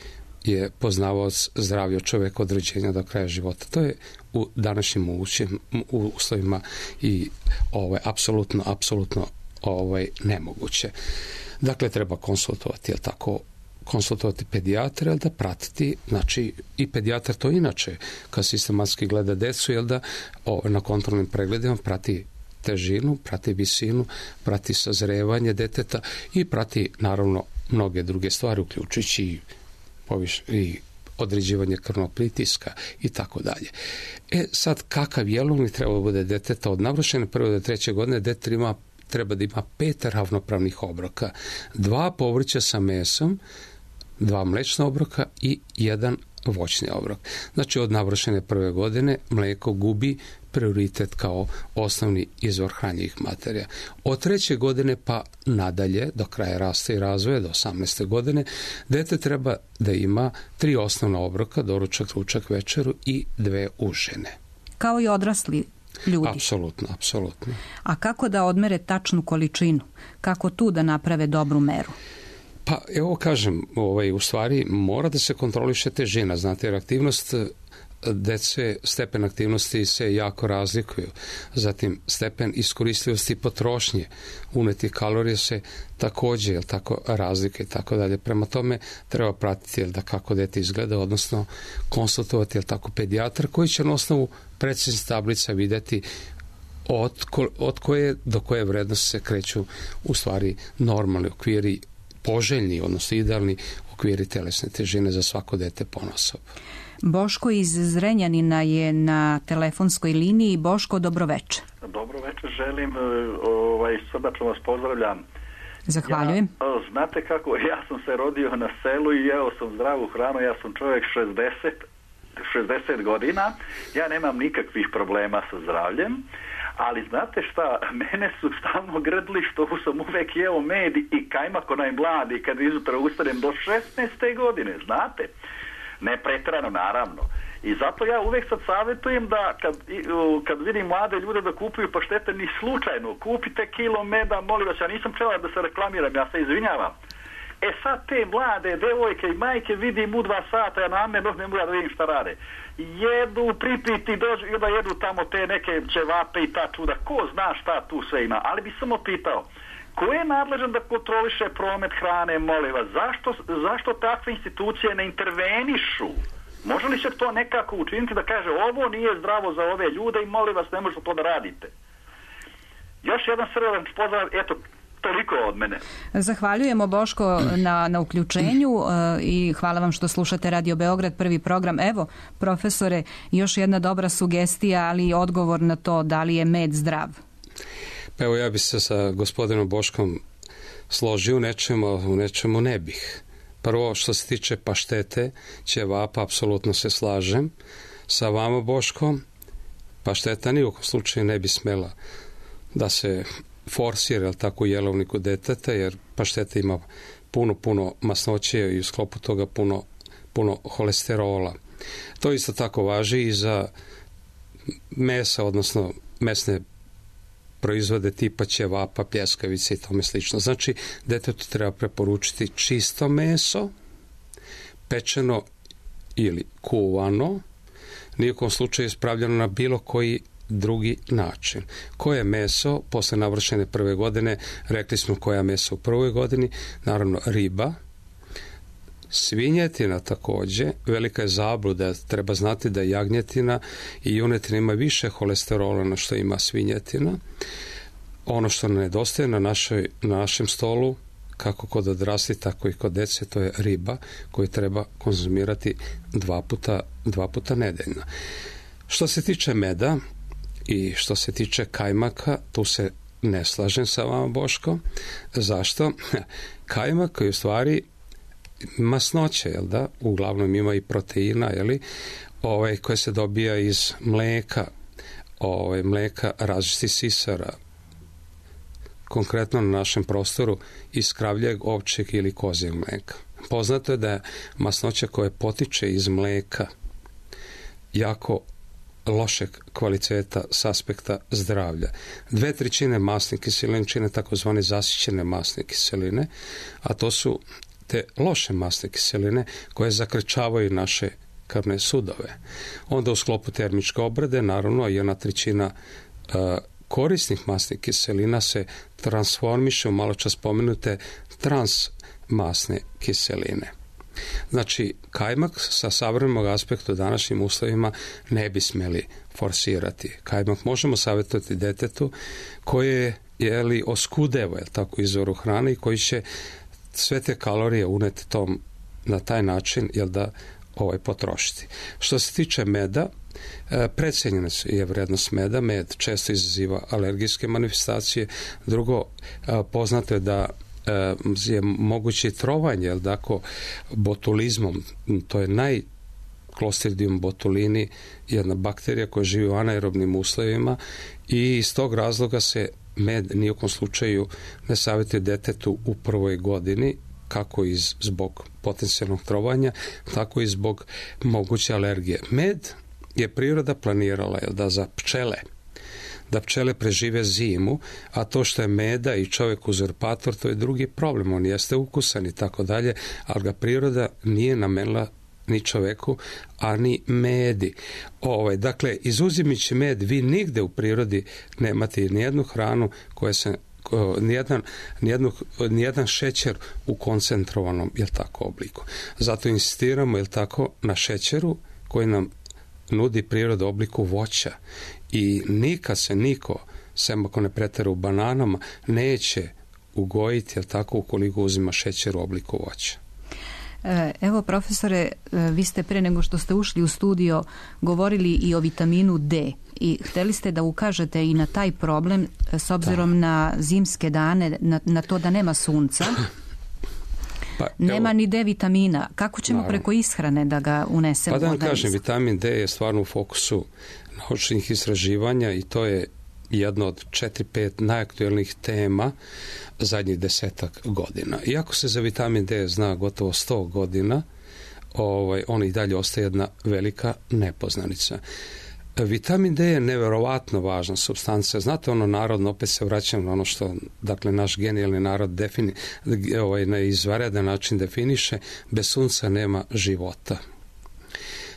je poznavaoc zdravlja čoveka od rođenja do kraja života. To je u današnjim uslovima i apsolutno nemoguće. Dakle, treba konsultovati, jel tako, konsultovati pedijatra, da pratiti, znači i pedijatar to inače, kad sistematski gleda decu, jel da, na kontrolnim pregledima prati težinu, prati visinu, prati sazrevanje deteta i prati naravno mnoge druge stvari, uključujući i određivanje krvnog pritiska i tako dalje. Sad, kakav jelovnik treba bude deteta od navršene 1. do 3. godine? Dete treba da ima 5 ravnopravnih obroka, 2 povrća sa mesom, 2 mlečna obroka i 1 voćni obrok. Znači, od navršene 1. godine mleko gubi prioritet kao osnovni izvor hranjivih materija. Od 3. godine pa nadalje, do kraja rasta i razvoja, do 18. godine, dete treba da ima 3 osnovna obroka, doručak, ručak, večeru i 2 užine. Kao i odrasli ljudi. Apsolutno. A kako da odmere tačnu količinu? Kako tu da naprave dobru meru? Pa evo kažem, u stvari mora da se kontroliše težina, znate, jer aktivnost dece, stepen aktivnosti se jako razlikuju. Zatim, stepen iskoristivosti potrošnje unetih kalorija se također, tako, razlike i tako dalje. Prema tome, treba pratiti, da kako dete izgleda, odnosno konsultovati, tako, pedijatar koji će na osnovu preciznih tablica vidjeti od koje do koje vrednosti se kreću u stvari normalni okviri, poželjni, odnosno idealni okviri telesne težine za svako dete ponaosob. Boško iz Zrenjanina je na telefonskoj liniji. Boško, dobroveče. Dobroveče, želim, srdačno vas pozdravljam. Zahvaljujem. Znate kako, ja sam se rodio na selu i jeo sam zdravu hranu, ja sam čovjek 60 godina, ja nemam nikakvih problema sa zdravljem, ali znate šta, mene su stalno grdli što sam uvek jeo med i kajmak onaj mladi kad izutra ustanem do 16. godine, znate? Ne preterano, naravno. I zato ja uvek sad savjetujem da kad vidim mlade ljude da kupuju paštete, ni slučajno, kupite kilo meda, molim vas, ja nisam čela da se reklamiram, ja se izvinjavam. Sad te mlade devojke i majke vidim u 2 sata, ja namerno ne mogu da vidim šta rade. Jedu, pripiti, dođu i onda jedu tamo te neke ćevape i ta čuda. Ko zna šta tu sve ima, ali bi samo pitao, ko je nadležan da kontroliše promet hrane, molim vas, zašto takve institucije ne intervenišu? Može li se to nekako učiniti da kaže ovo nije zdravo za ove ljude i molim vas ne možete to da radite? Još jedan srdačan pozdrav, eto, Toliko od mene. Zahvaljujemo, Boško, na uključenju i hvala vam što slušate Radio Beograd, prvi program. Evo, profesore, još jedna dobra sugestija, ali i odgovor na to da li je med zdrav. Pa evo, ja bih se sa gospodinom Boškom složio u nečemu ne bih. Prvo, što se tiče paštete, ćevapa, apsolutno se slažem sa vama, Boškom. Pašteta ni u kom slučaju ne bi smela da se forsira, tako, u jelovniku deteta, jer pašteta ima puno masnoće i u sklopu toga puno holesterola. To isto tako važi i za mesa, odnosno mesne proizvode tipa ćevapa, pljeskavice i tome slično. Znači, detetu treba preporučiti čisto meso, pečeno ili kuvano, nijekom slučaju ispravljeno na bilo koji drugi način. Koje meso posle navršene prve godine, rekli smo koja meso u prvoj godini, naravno riba, svinjetina takođe, velika je zabluda, treba znati da jagnjetina i junetina ima više holesterola na što ima svinjetina. Ono što nedostaje na našem stolu, kako kod odrasli, tako i kod dece, to je riba koju treba konzumirati dva puta nedeljno. Što se tiče meda i što se tiče kajmaka, tu se ne slažem sa vama, Boško. Zašto? Kajmak je u stvari masnoće, jel da? Uglavnom ima i proteina, jeli? Koje se dobija iz mleka, mleka različitih sisara, konkretno na našem prostoru iz kravljeg, ovčjeg ili kozjeg mleka. Poznato je da je masnoća koja potiče iz mleka jako lošeg kvaliteta s aspekta zdravlja. 2/3 masne kiseline čine takozvane zasićene masne kiseline, a to su te loše masne kiseline koje zakrčavaju naše krvne sudove. Onda u sklopu termičke obrade, naravno, 1/3 korisnih masnih kiselina se transformiše u maločas spomenute transmasne kiseline. Znači, kajmak sa savremenog aspekta u današnjim uslovima ne bi smeli forsirati. Kajmak možemo savjetovati detetu koje je oskudeva, tako, izvoru hrane i koji će sve te kalorije uneti na taj način, potrošiti. Što se tiče meda, precijenjena je vrednost meda. Med često izaziva alergijske manifestacije. Drugo, poznato je da je moguće trovanje, botulizmom, to je Clostridium botulini, jedna bakterija koja živi u anaerobnim uslovima i iz tog razloga se med nijekom slučaju ne savjetuje detetu u prvoj godini, kako zbog potencijalnog trovanja, tako i zbog moguće alergije. Med je priroda planirala za pčele, da pčele prežive zimu, a to što je meda i čovjek uzurpator, to je drugi problem. On jeste ukusan i tako dalje, ali ga priroda nije namenila ni čoveku, a ni medi. Dakle, izuzimajući med, vi nigde u prirodi nemate nijednu hranu koja se nijedan šećer u koncentrovanom obliku. Zato insistiramo na šećeru koji nam nudi priroda u obliku voća i nikad se niko, sem ako ne pretera u bananama, neće ugojiti ukoliko uzima šećer u obliku voća. Evo, profesore, vi ste pre nego što ste ušli u studio govorili i o vitaminu D i hteli ste da ukažete i na taj problem s obzirom na zimske dane, na to da nema sunca. Nema ni D vitamina. Kako ćemo preko ishrane da ga unesemo? Da vam kažem, vitamin D je stvarno u fokusu naučnih istraživanja i to je jedna od 4-5 najaktuelnijih tema zadnjih 10 godina. Iako se za vitamin D zna gotovo 100 godina, on i dalje ostaje jedna velika nepoznanica. Vitamin D je neverovatno važna supstanca. Znate, narodno, opet se vraćam na ono što, naš genijalni narod na izvanredan način definiše, bez sunca nema života.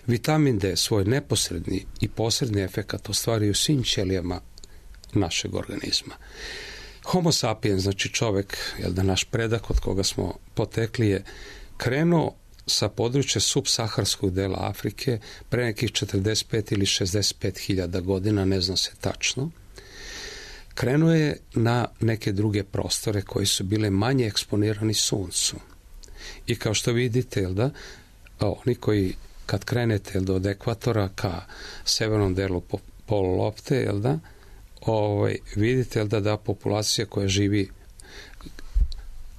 Vitamin D svoj neposredni i posredni efekat ostvaruje u svim ćelijama našeg organizma. Homo sapiens, znači čovjek, naš predak od koga smo potekli, je krenuo sa područja subsaharskog dela Afrike pre nekih 45 ili 65 hiljada godina, ne zna se tačno, krenuo je na neke druge prostore koji su bile manje eksponirani suncu. I kao što vidite, jel da, oni koji kad krenete, jel da, od ekvatora ka severnom delu polulopte, jel da, vidite, jel da populacija koja živi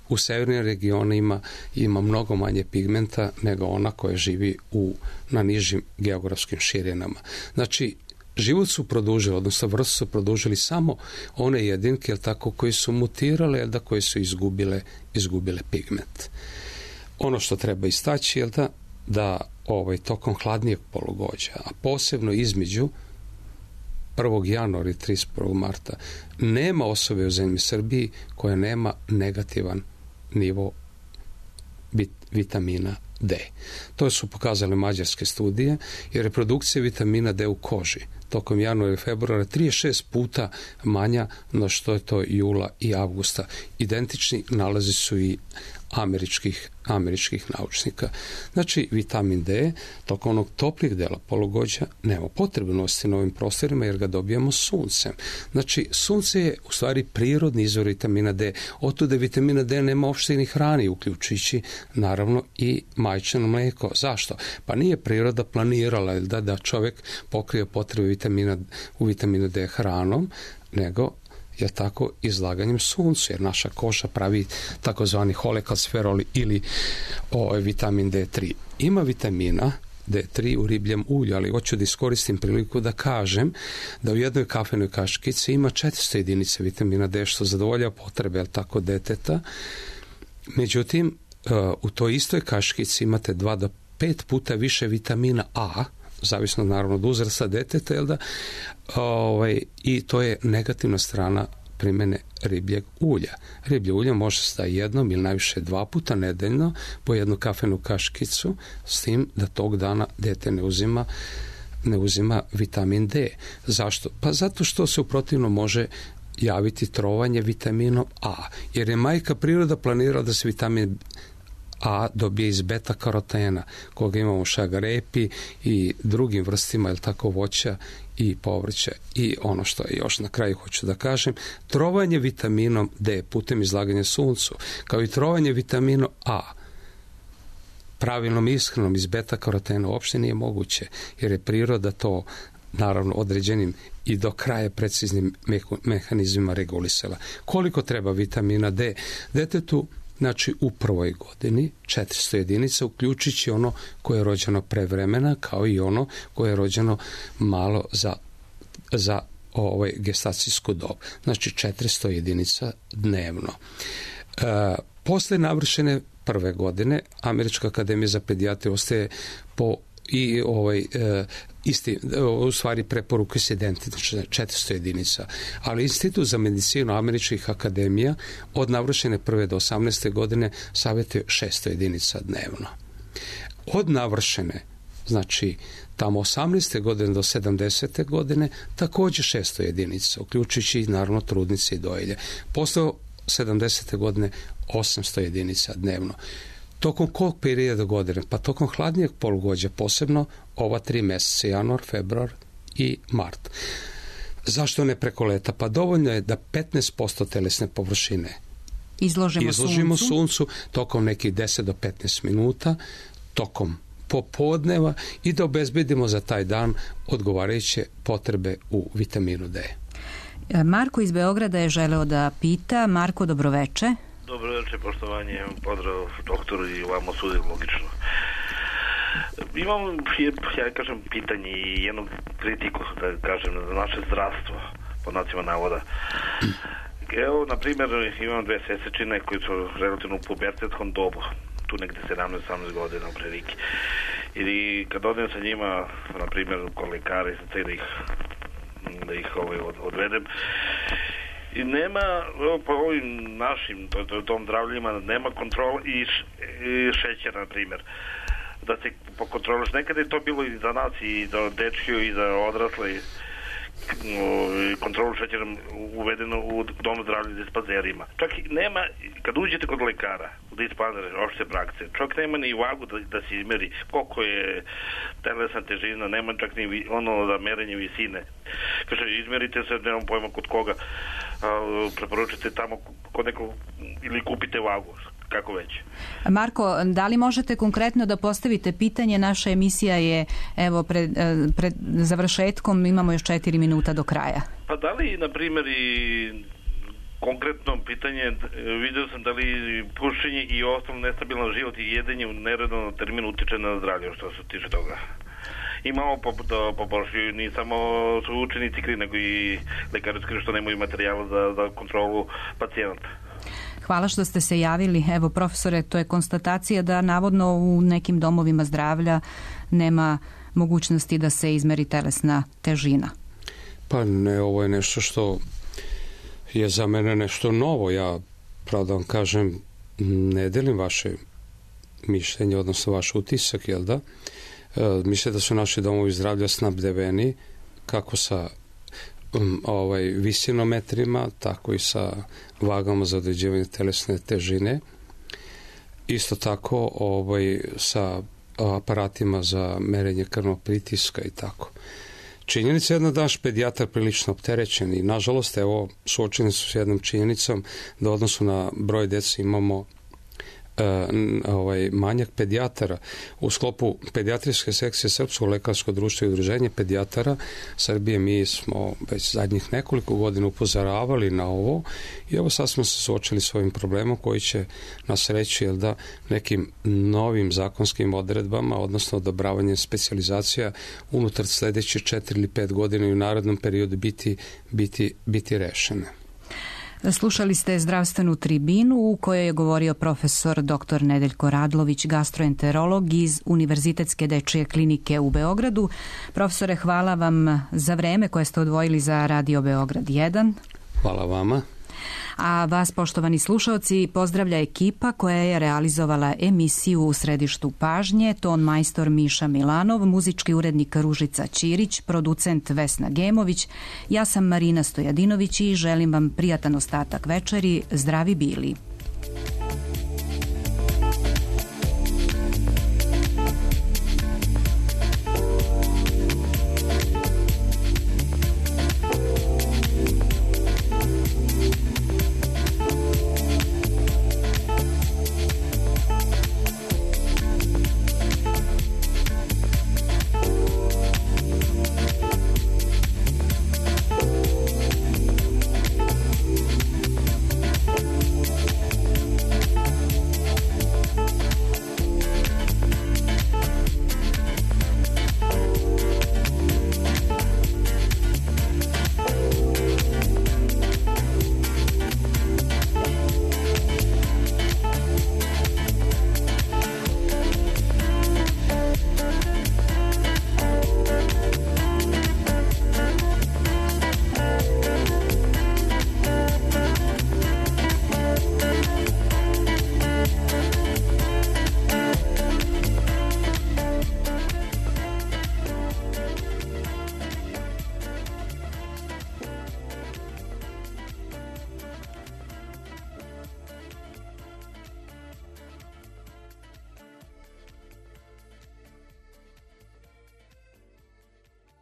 u severnim regionima ima mnogo manje pigmenta nego ona koja živi na nižim geografskim širinama. Znači, život su produžili, odnosno vrstu su produžili samo one jedinke, jel tako, koji su mutirale, jel da, koji su izgubile pigment. Ono što treba istaći, jel da tokom hladnijeg polugođa, a posebno između 1. januara i 31. marta, nema osobe u zemlji Srbiji koja nema negativan nivo vitamina D. To su pokazale mađarske studije, jer reprodukcija vitamina D u koži tokom januara i februara 36 puta manja no što je to jula i avgusta. Identični nalazi su i američkih naučnika. Znači, vitamin D tokom onog toplijeg dela polugođa nema potrebu nositi na ovim prostorima jer ga dobijamo suncem. Znači, sunce je u stvari prirodni izvor vitamina D. Otuda vitamina D nema uopšte ni hrani, uključujući naravno i majčino mlijeko. Zašto? Pa nije priroda planirala da čovjek pokrije potrebe vitamina D hranom, nego je tako izlaganjem suncu, jer naša koža pravi takozvani holekalsferol ili vitamin D3. Ima vitamina D3 u ribljem ulju, ali hoću da iskoristim priliku da kažem da u jednoj kafenoj kaškici ima 400 jedinica vitamina D, što zadovoljava potrebe, jel tako, deteta. Međutim, u toj istoj kaškici imate 2 do 5 puta više vitamina A, zavisno naravno od uzrasta deteta, jel da, i to je negativna strana primjene ribljeg ulja. Riblje ulje može se da jednom ili najviše 2 puta nedeljno po jednu kafenu kaškicu, s tim da tog dana dete ne uzima vitamin D. Zašto? Pa zato što se u protivnom može javiti trovanje vitaminom A, jer je majka priroda planirala da se vitamin A dobije iz beta karotena, koga imamo u šagarepi i drugim vrstima, jel tako, voća i povrća. I ono što je još na kraju hoću da kažem, trovanje vitaminom D putem izlaganja suncu, kao i trovanje vitaminom A pravilnom ishranom iz beta karotena uopšte nije moguće, jer je priroda to naravno određenim i do kraja preciznim mehanizmima regulisala. Koliko treba vitamina D detetu? Znači, u prvoj godini 400 jedinica, uključujući ono koje je rođeno prevremena, kao i ono koje je rođeno malo za gestacijsku dob. Znači, 400 jedinica dnevno. Posle navršene prve godine, Američka akademija za pedijatriju ostaje u stvari preporuke se identične, 400 jedinica. Ali Institut za medicinu američkih akademija od navršene prve do 18. godine savjetuje 600 jedinica dnevno. Od navršene, znači tamo 18. godine do 70. godine, također 600 jedinica, uključujući naravno trudnice i dojilje. Posle 70. godine 800 jedinica dnevno. Tokom kog perioda godine? Pa tokom hladnijeg polugođa, posebno ova 3 mjeseca, januar, februar i mart. Zašto ne preko leta? Pa dovoljno je da 15% telesne površine izložimo suncu tokom nekih 10 do 15 minuta, tokom popodneva, i da obezbedimo za taj dan odgovarajuće potrebe u vitaminu D. Marko iz Beograda je želeo da pita. Marko, dobroveče. Dobroveče, poštovanje, pozdrav doktoru i vama sudi, logično. Imam, ja kažem, pitanje i jednu kritiku, da kažem, za naše zdravstvo, pod nacima navoda. Evo, na primjer, imam 2 sesečine koji su relativno u pubertetskom dobu, tu negde 17-18 godina u prilike. I kad odem sa njima, na primjer, kod lekara i da ih odvedem, i nema, po ovim našim tom zdravljima, nema kontrola i šećera, na primjer, da se pokontroliš. Nekada je to bilo i za nas, i za dečke, i za odrasle, kontrolu šećera uvedeno u domu zdravlja dispanzerima. Čak nema, kad uđete kod lekara u dispanzere, opšte prakse, čak nema ni vagu da se izmeri koliko je telesna težina, nema čak ni ono za merenje visine. Kaže, izmerite se, nemam pojma kod koga. preporučite tamo kod nekog ili kupite vagu, kako već. Marko, da li možete konkretno da postavite pitanje? Naša emisija je evo pred završetkom, imamo još 4 minuta do kraja. Pa da li, na primjer, i konkretno pitanje, vidio sam da li pušenje i ostalo nestabilan život i jedenje u nerednom terminu utiče na zdravlje, što se tiče toga. Imamo poboljšaju, ni samo su učenici krivi, nego i lekari krivi što nemaju materijala za kontrolu pacijenata. Hvala što ste se javili. Evo, profesore, to je konstatacija da navodno u nekim domovima zdravlja nema mogućnosti da se izmeri telesna težina. Pa ne, ovo je nešto što je za mene nešto novo. Ja, pravo da vam kažem, ne delim vaše mišljenje, odnosno vaš utisak, jel da? Mislim da su naši domovi zdravlja snabdeveni kako sa visinometrima, tako i sa vagama za određivanje telesne težine. Isto tako sa aparatima za merenje krvnog pritiska i tako. Činjenica je da naš pedijatar prilično opterećen i nažalost, evo, suočeni su s jednom činjenicom da u odnosu na broj dece imamo manjak pedijatara. U sklopu pedijatrijske sekcije Srpskog lekarskog društva i udruženja pedijatara Srbije mi smo već zadnjih nekoliko godina upozoravali na ovo i evo sad smo se suočili s ovim problemom koji će nas reći nekim novim zakonskim odredbama, odnosno odobravanjem specijalizacija unutar sledeće 4 ili 5 godina i u narednom periodu biti rešene. Slušali ste zdravstvenu tribinu u kojoj je govorio profesor dr. Nedeljko Radlović, gastroenterolog iz Univerzitetske dečije klinike u Beogradu. Profesore, hvala vam za vreme koje ste odvojili za Radio Beograd 1. Hvala vama. A vas, poštovani slušaoci, pozdravlja ekipa koja je realizovala emisiju U središtu pažnje, ton majstor Miša Milanov, muzički urednik Ružica Ćirić, producent Vesna Gemović, ja sam Marina Stojadinović i želim vam prijatan ostatak večeri. Zdravi bili.